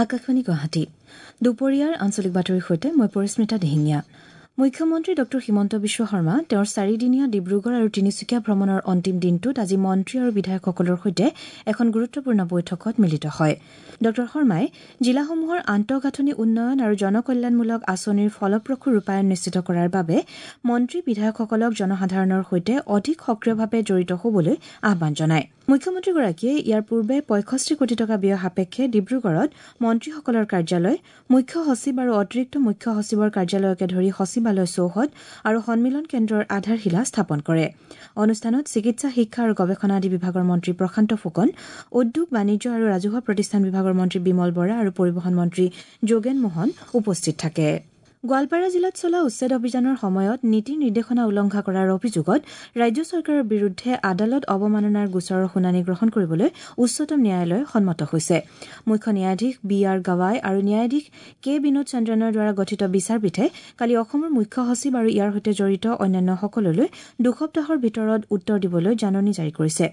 আকাশবাণী গুৱাহাটী। দুপৰীয়াৰ আঞ্চলিক বাতৰিৰ সৈতে মই পৰিস্মিতা দিহিঙীয়া। মুখ্যমন্ত্ৰী ডঃ হিমন্ত বিশ্ব শৰ্মা তেওঁৰ চাৰিদিনীয়া ডিব্ৰুগড় আৰু তিনিচুকীয়া ভ্ৰমণৰ অন্তিম দিনটোত আজি মন্ত্ৰী আৰু বিধায়কসকলৰ সৈতে এখন গুৰুত্বপূৰ্ণ বৈঠকত মিলিত হয়। ডঃ শৰ্মাই জিলাসমূহৰ আন্তঃগাঁথনি উন্নয়ন আৰু জনকল্যাণমূলক আঁচনিৰ ফলপ্ৰসূ ৰূপায়ণ নিশ্চিত কৰাৰ বাবে মন্ত্ৰী বিধায়কসকলক জনসাধাৰণৰ সৈতে অধিক সক্ৰিয়ভাৱে জড়িত হ'বলৈ আহ্বান জনায়। মুখ্যমন্ত্ৰীগৰাকীয়ে ইয়াৰ পূৰ্বে ৬৫ কোটি টকা ব্যয় সাপেক্ষে ডিব্ৰুগড়ত মন্ত্ৰীসকলৰ কাৰ্যালয়, মুখ্য সচিব আৰু অতিৰিক্ত মুখ্য সচিবৰ কাৰ্যালয়কে ধৰি সচিবালয় চৌহদ আৰু সন্মিলন কেন্দ্ৰৰ আধাৰশিলা স্থাপন কৰে। অনুষ্ঠানত চিকিৎসা, শিক্ষা আৰু গৱেষণা আদি বিভাগৰ মন্ত্ৰী প্ৰশান্ত ফুকন, উদ্যোগ, বাণিজ্য আৰু ৰাজহুৱা প্ৰতিষ্ঠান বিভাগৰ মন্ত্ৰী বিমল বৰা আৰু পৰিবহণ মন্ত্ৰী যোগেন মোহন উপস্থিত থাকে। গোৱালপাৰা জিলাত চলা উচ্ছেদ অভিযানৰ সময়ত নীতি নিৰ্দেশনা উলংঘা কৰাৰ অভিযোগত ৰাজ্য চৰকাৰৰ বিৰুদ্ধে আদালত অৱমাননাৰ গোচৰৰ শুনানি গ্ৰহণ কৰিবলৈ উচ্চতম ন্যায়ালয় সন্মত হৈছে। মুখ্য ন্যায়াধীশ বি আৰ গাৱাই আৰু ন্যায়াধীশ কে বিনোদ চন্দ্ৰনৰ দ্বাৰা গঠিত বিচাৰপীঠে কালি অসমৰ মুখ্য সচিব আৰু ইয়াৰ সৈতে জড়িত অন্যান্যসকললৈ ২ সপ্তাহৰ ভিতৰত উত্তৰ দিবলৈ জাননী জাৰি কৰিছে।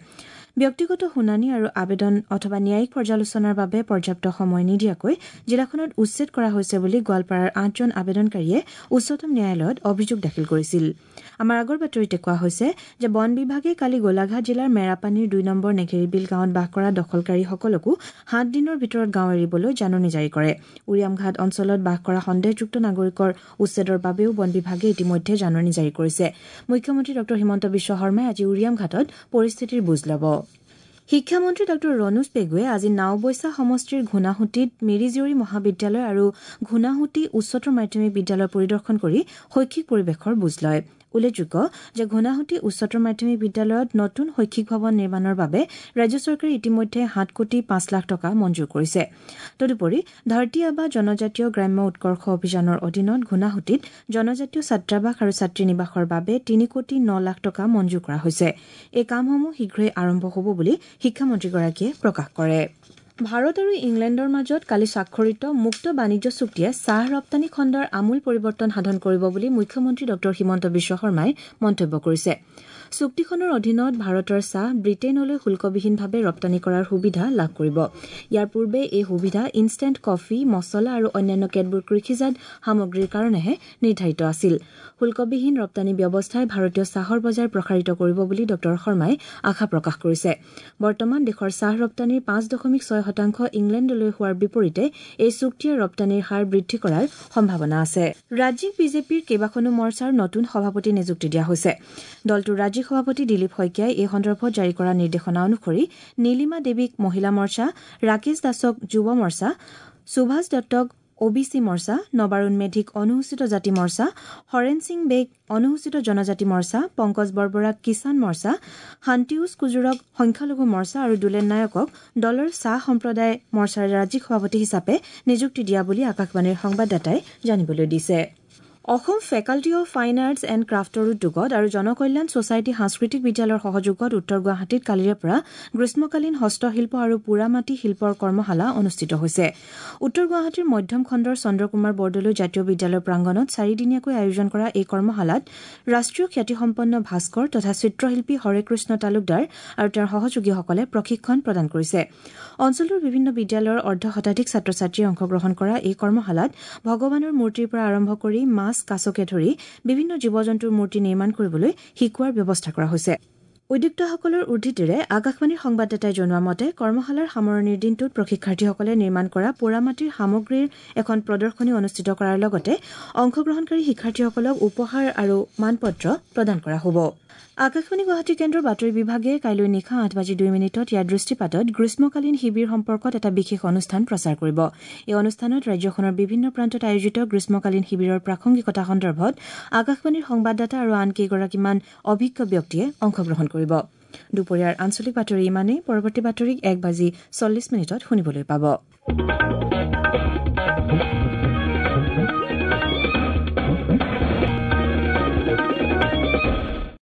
ব্যক্তিগত শুনানি আৰু আবেদন অথবা ন্যায়িক পৰ্যালোচনাৰ বাবে পৰ্যাপ্ত সময় নিদিয়াকৈ জিলাখনত উচ্ছেদ কৰা হৈছে বুলি গোৱালপাৰাৰ ৮জন আবেদনকাৰীয়ে উচ্চতম ন্যায়ালয়ত অভিযোগ দাখিল কৰিছিল। আমাৰ আগৰ বাতৰিতে কোৱা হৈছে যে বন বিভাগে কালি গোলাঘাট জিলাৰ মেৰাপানীৰ ২ নম্বৰ নেঘেৰিবিল গাঁৱত বাস কৰা দখলকাৰীসকলকো ৭ দিনৰ ভিতৰত গাঁও এৰিবলৈ জাননী জাৰি কৰে। উৰিয়ামঘাট অঞ্চলত বাস কৰা সন্দেহযুক্ত নাগৰিকৰ উচ্ছেদৰ বাবেও বন বিভাগে ইতিমধ্যে জাননী জাৰি কৰিছে। মুখ্যমন্ত্ৰী ডঃ হিমন্ত বিশ্ব শৰ্মাই আজি উৰিয়ামঘাটত পৰিস্থিতিৰ বুজ ল'ব। শিক্ষামন্ত্ৰী ডঃ ৰণোজ পেগুৱে আজি নাওবৈচা সমষ্টিৰ ঘূণাসুঁতিত মিৰিজীয়ৰী মহাবিদ্যালয় আৰু ঘূণাসুঁতি উচ্চতৰ মাধ্যমিক বিদ্যালয় পৰিদৰ্শন কৰি শৈক্ষিক পৰিৱেশৰ বুজ লয়। উল্লেখযোগ্য যে ঘূণাসুঁতি উচ্চতৰ মাধ্যমিক বিদ্যালয়ত নতুন শৈক্ষিক ভৱন নিৰ্মাণৰ বাবে ৰাজ্য চৰকাৰে ইতিমধ্যে ৭ কোটি ৫ লাখ টকা মঞ্জুৰ কৰিছে। তদুপৰি ধৰতী আবা জনজাতীয় গ্ৰাম্য উৎকৰ্ষ অভিযানৰ অধীনত ঘূণাসুঁতিত জনজাতীয় ছাত্ৰাবাস আৰু ছাত্ৰী নিবাসৰ বাবে ৩ কোটি ৯ লাখ টকা মঞ্জুৰ কৰা হৈছে। এই কামসমূহ শীঘ্ৰেই আৰম্ভ হ'ব বুলি শিক্ষামন্ত্ৰীগৰাকীয়ে প্ৰকাশ কৰে। ভাৰত আৰু ইংলেণ্ডৰ মাজত কালি স্বাক্ষৰিত মুক্ত বাণিজ্য চুক্তিয়ে চাহ ৰপ্তানি খণ্ডৰ আমূল পৰিৱৰ্তন সাধন কৰিব বুলি মুখ্যমন্ত্ৰী ডঃ হিমন্ত বিশ্ব শৰ্মাই মন্তব্য কৰিছে। চুক্তিখনৰ অধীনত ভাৰতৰ চাহ ব্ৰিটেইনলৈ শুল্কবিহীনভাৱে ৰপ্তানি কৰাৰ সুবিধা লাভ কৰিব। ইয়াৰ পূৰ্বে এই সুবিধা ইনষ্টেণ্ট কফি, মছলা আৰু অন্যান্য কেতবোৰ কৃষিজাত সামগ্ৰীৰ কাৰণেহে নিৰ্ধাৰিত আছিল। শুল্কবিহীন ৰপ্তানি ব্যৱস্থাই ভাৰতীয় চাহৰ বজাৰ প্ৰসাৰিত কৰিব বুলি ডঃ শৰ্মাই আশা প্ৰকাশ কৰিছে। বৰ্তমান দেশৰ চাহ ৰপ্তানিৰ ৫.৬% ইংলেণ্ডলৈ হোৱাৰ বিপৰীতে এই চুক্তিয়ে ৰপ্তানিৰ হাৰ বৃদ্ধি কৰাৰ সম্ভাৱনা আছে। ৰাজ্যিক বিজেপিৰ কেইবাখনো মৰ্চাৰ নতুন সভাপতি নিযুক্তি দিয়া হৈছে। দলটোৰ ৰাজ্যিক সভাপতি দিলীপ শইকীয়াই এই সন্দৰ্ভত জাৰি কৰা নিৰ্দেশনা অনুসৰি নীলিমা দেৱীক মহিলা মৰ্চা, ৰাকেশ দাসক যুৱ মৰ্চা, সুভাষ দত্তক অ বি চি মৰ্চা, নবাৰুণ মেধিক অনুসূচিত জাতি মৰ্চা, হৰেণ সিং বেগ অনুসূচিত জনজাতি মৰ্চা, পংকজ বৰবৰাক কিষাণ মৰ্চা, শান্তিউজ কুজুৰক সংখ্যালঘু মৰ্চা আৰু দুলেন নায়কক দলৰ চাহ সম্প্ৰদায় মৰ্চাৰ ৰাজ্যিক সভাপতি হিচাপে নিযুক্তি দিয়া বুলি আকাশবাণীৰ সংবাদদাতাই জানিবলৈ দিছে। Assam faculty of fine arts and ক্ৰাফ্টৰ উদ্যোগত আৰু জনকল্যাণ ছ'চাইটি সাংস্কৃতিক বিদ্যালয়ৰ সহযোগত উত্তৰ গুৱাহাটীত কালিৰে পৰা গ্ৰীষ্মকালীন হস্তশিল্প আৰু পোৰামাটি শিল্পৰ কৰ্মশালা অনুষ্ঠিত হৈছে। উত্তৰ গুৱাহাটীৰ মধ্যম খণ্ডৰ চন্দ্ৰকুমাৰ বৰদলৈ জাতীয় বিদ্যালয় প্ৰাংগণত চাৰিদিনীয়াকৈ আয়োজন কৰা এই কৰ্মশালাত ৰাষ্ট্ৰীয় খ্যাতিসম্পন্ন ভাস্কৰ তথা চিত্ৰশিল্পী হৰেকৃষ্ণ তালুকদাৰ আৰু তেওঁৰ সহযোগীসকলে প্ৰশিক্ষণ প্ৰদান কৰিছে। অঞ্চলটোৰ বিভিন্ন বিদ্যালয়ৰ অৰ্ধ শতাধিক ছাত্ৰ ছাত্ৰীয়ে অংশগ্ৰহণ কৰা এই কৰ্মশালাত ভগৱানৰ মূৰ্তিৰ পৰা আৰম্ভ কৰি মাছ, কাছকে ধৰি বিভিন্ন জীৱ জন্তুৰ মূৰ্তি নিৰ্মাণ কৰিবলৈ শিকোৱাৰ ব্যৱস্থা কৰা হৈছে। উদ্যোক্তাসকলৰ উদ্ধৃতিৰে আকাশবাণীৰ সংবাদদাতাই জনোৱা মতে কৰ্মশালাৰ সামৰণিৰ দিনটোত প্ৰশিক্ষাৰ্থীসকলে নিৰ্মাণ কৰা পোৰামাটিৰ সামগ্ৰীৰ এখন প্ৰদৰ্শনী অনুষ্ঠিত কৰাৰ লগতে অংশগ্ৰহণকাৰী শিক্ষাৰ্থীসকলক উপহাৰ আৰু মানপত্ৰ প্ৰদান কৰা হ'ব। আকাশবাণী গুৱাহাটী কেন্দ্ৰৰ বাতৰি বিভাগে কাইলৈ নিশা ৮:০২ ইয়াৰ দৃষ্টিপাতত গ্ৰীষ্মকালীন শিবিৰ সম্পৰ্কত এটা বিশেষ অনুষ্ঠান প্ৰচাৰ কৰিব। এই অনুষ্ঠানত ৰাজ্যখনৰ বিভিন্ন প্ৰান্তত আয়োজিত গ্ৰীষ্মকালীন শিবিৰৰ প্ৰাসংগিকতা সন্দৰ্ভত আকাশবাণীৰ সংবাদদাতা আৰু আন কেইগৰাকীমান অভিজ্ঞ ব্যক্তিয়ে অংশগ্ৰহণ কৰিব। দুপৰীয়াৰ আঞ্চলিক বাতৰি ইমানেই। পৰৱৰ্তী বাতৰি ১:৪০ শুনিবলৈ পাব।